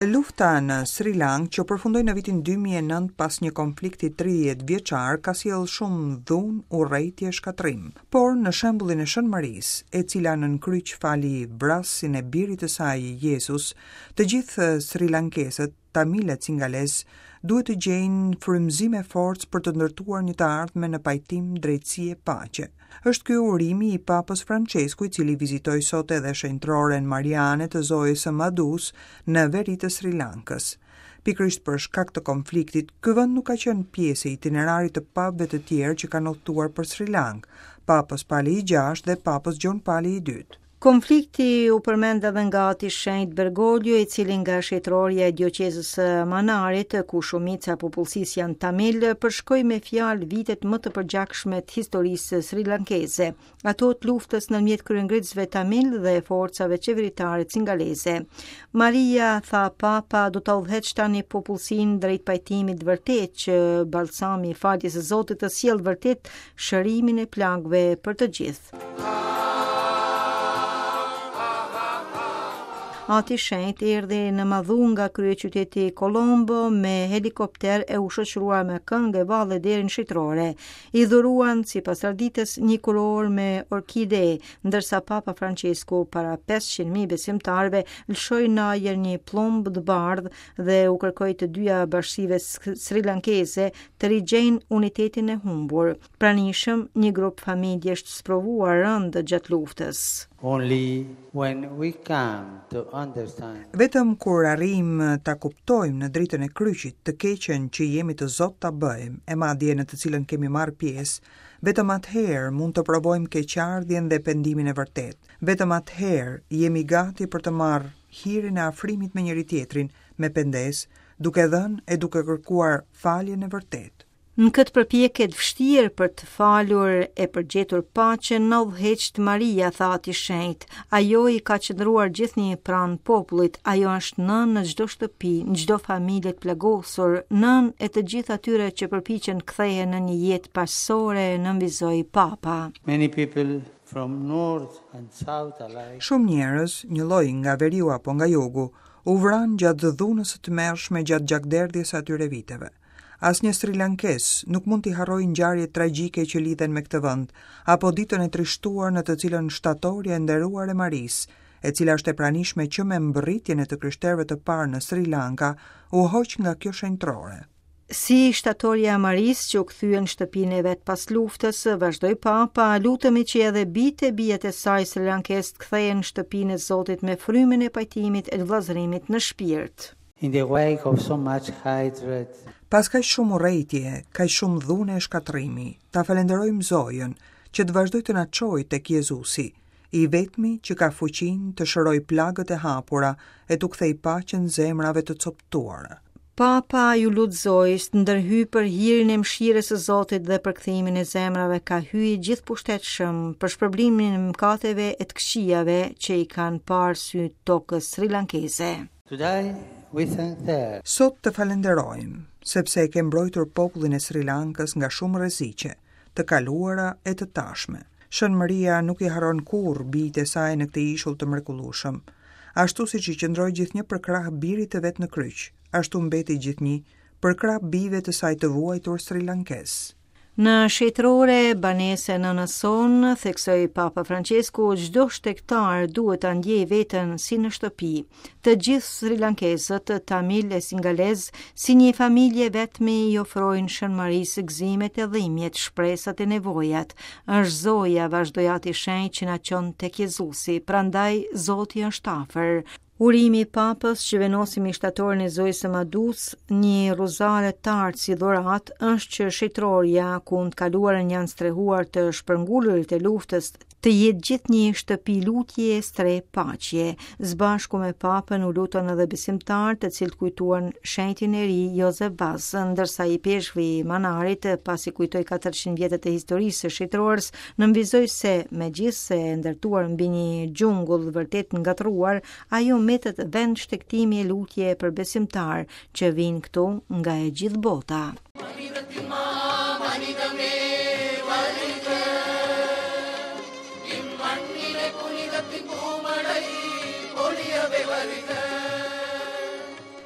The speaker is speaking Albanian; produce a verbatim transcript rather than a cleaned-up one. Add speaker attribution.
Speaker 1: Lufta në Sri Lanka që përfundoi në vitin dy mijë e nëntë pas një konflikti tridhjetë vjeçar ka sjellë shumë dhunë, urrejtje e shkatërrim. Por në shembullin e Shën Marisë, e cila nën kryq fali vrasësin e birit të saj Jezus, të gjithë Sri Lankesët, tamilët singalez, duhet të gjejnë frymëzim e forcë për të ndërtuar një të ardhme në pajtim, drejtësi e paqe. Është ky urimi i Papës Francesku, i cili vizitoi sot edhe shenjtroren Mariane të Zojës së Madus në veri të Sri Lankës. Pikërisht për shkak të konfliktit, ky vend nuk ka qenë pjesë e itinerarit të papëve të tjerë që kanë udhëtuar për Sri Lankë, Papës Pali i gjashtë dhe Papës Gjon Pali i dytë.
Speaker 2: Konflikti u përmend edhe nga ati shenjt Bergoglio, i cili nga shenjtorja e dioqezës së Manarit, ku shumica e popullsisë janë tamil, përshkoi me fjalë vitet më të përgjakshme të historisë sri lankeze, ato të luftës ndërmjet kryengritësve tamil dhe forcave qeveritare cingaleze. Maria, tha Papa, do ta udhëheq tani popullsinë drejt pajtimit të vërtetë që balsami i faljes së Zotit të sjellë vërtet shërimin e plagëve për të gjithë. Ati shenjt erdhi në Madhu nga kryeqyteti Colombo me helikopter e u shoqërua me këngë e valle deri në shitërore. I dhuruan, sipas traditës, një kurorë me orkide, ndërsa Papa Francesku para pesëqind mijë besimtarëve lëshoi në ajër një pllumb të bardhë dhe u kërkoi të dyja bashkësive sri lankeze të rigjejnë unitetin e humbur. Pranishëm një grup familjesh të sprovuar rëndë gjatë luftës.
Speaker 3: Only when we come to understand.
Speaker 1: Vetëm kur arrijmë ta kuptojmë në dritën e kryqit të keqen që jemi të zot ta bëjmë, e madje në të cilën kemi marrë pjesë, vetëm atëherë mund të provojmë keqardhjen dhe pendimin e vërtetë. Vetëm atëherë jemi gati për të marrë hirin e afrimit me njëri tjetrin, me pendesë, duke dhënë e duke kërkuar faljen e vërtetë.
Speaker 2: Në këtë përpjekje të vështirë për të falur e për gjetur paqen, na udhëheqt Maria, tha ati shenjt. Ajo i ka qëndruar gjithnjë pranë popullit, ajo është nënë në çdo shtëpi, në çdo familje të plagosur, nënë e të gjithë atyre që përpiqen të kthehen në një jetë paqësore, nënvizoi Papa.
Speaker 3: Many people from north and south alike.
Speaker 1: Shumë njerëz, një lloj nga veriu apo nga jugu, u vranë gjatë dhunës së tmerrshme gjatë gjakderdhjes së atyre viteve. Asnjë Sri Lankes nuk mund t'i harrojë ngjarjet tragjike që lidhen me këtë vend, apo ditën e trishtuar në të cilën shtatorja e nderuar e Marisë, e cila është e pranishme që me mbërritjen e të krishterëve të parë në Sri Lanka, u hoq nga kjo shenjtrore.
Speaker 2: Si shtatorja e Marisë që u kthye në shtëpinë e vet pas luftës, vazhdoi Papa, lutemi që edhe bijtë e bijat e saj sri lankes të kthehen në shtëpinë e Zotit me frymën e pajtimit e të vëllazërimit në shpirt.
Speaker 3: In the wake of so much hatred,
Speaker 1: Pas kaq shumë urrejtje, kaq shumë dhune e shkatërrimi, ta falenderojmë Zojën që të vazhdojë të na çojë tek Jezusi, i vetmi që ka fuqinë të shërojë plagët e hapura e t'u kthejë paqen zemrave të coptuara.
Speaker 2: Papa ju lut Zojës të ndërhyj për hirin e mëshirës së Zotit dhe për kthimin e zemrave ka hyji gjithëpushtetshëm për shpërblimin e mëkateve e të këqijave që i kanë parë sy tokës sri lankeze.
Speaker 3: Today we thank her.
Speaker 1: Sot të falenderojmë, sepse e ke mbrojtur popullin e Sri Lankës nga shumë rreziqe, të kaluara e të tashme. Shën Maria nuk i harron kurrë bijtë e saj në këtë ishull të mrekullueshëm. Ashtu siç i qëndroi gjithnjë përkrah birit të vet në kryq, ashtu mbeti gjithnjë përkrah bijve të saj të vuajtur sri lankes.
Speaker 2: Në shetërore, banese nënës sonë, theksoi Papa Francesku, çdo shtegtar duhet ta ndjejë veten si në shtëpi. Të gjithë sri lankezët, tamil e singalez, si një familje vetmi i ofrojnë Shën Marisë gëzimet e dhimbjet, shpresat e nevojat. Është Zoja, vazhdoi ati shenjt që na çon tek Jezusi, prandaj Zoti është afër. Urimi i Papës që vendosi me shtatorin e Zojës së Madus, një rozare të artë si dhuratë, është që shetërorja, ku në të kaluarën janë strehuar të shpërngulurit e luftës, të jetë gjithnjë shtëpi lutje e strehë paqje. Zbashku me Papën u lutën edhe besimtarë të cilët kujtuan shenjtin e ri Josef Vaz, ndërsa i peshvi i Manarit, pasi kujtoi katërqind vjetët e historisë së shetërores, nënvizoi se, megjithse e ndërtuar mbi një xhungull vërtet ngatërruar, ajo mbetet vend shtegtimi e lutje për besimtarë që vijnë këtu nga e gjithë bota.